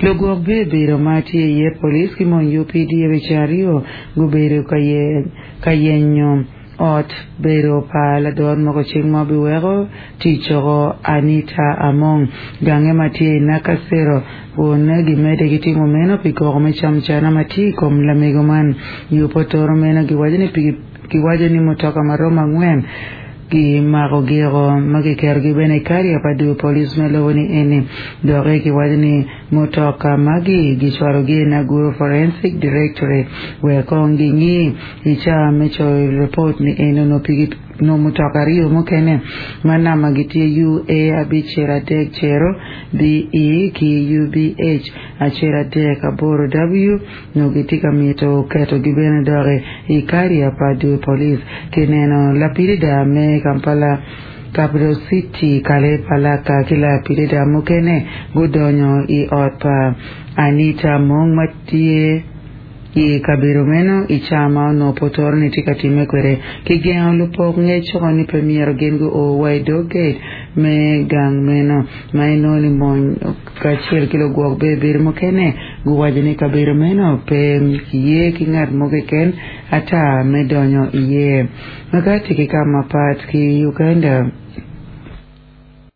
Lugwok bibedo ma tye iye police ki mony UPDF i ceng aryo gubedo ka yenyo ot bedo pa ladot moko cik ma biweko tic coko Anita Among gange ma tye i Nakasero kun gimedde ki timo meno pi koko me camcana ma tye i kom lamego man. Yub otoro meno giwaco ni mutoka maromo angwen Gimako giko ma kiketogi bene i kariya pa dul police me lobo ni eni. Doki kiwaco ni mutoka magi gicwalogi i Naguru Forensic Directorate wek kong gingi i caa me coyo report ni eni onongo pigi nongo mutoka aryo mukene ma namba gi tye UA 530 BE ki UBH 138W. Nyo gitye ka mito ketogi bene doki i kariya pa dul police. Kineno lapilida me Kampala Capital City Kale Palaka ki lapilida mukene gudonyo i ot pa Anita Among ma tye i kabedo meno i caa ma onongo potoro ni tye ka timme kwede. Kigengo lupok ngec coko ni pe myero gin guo wa i dog gate me gang meno ma inongo ni mony kacel ki lugwok bebedo mukene guwaco ni kabedo meno pe kiye ki ngat mo keken ata me donyo iye. Ma ka tye ki ka mapat ki Uganda.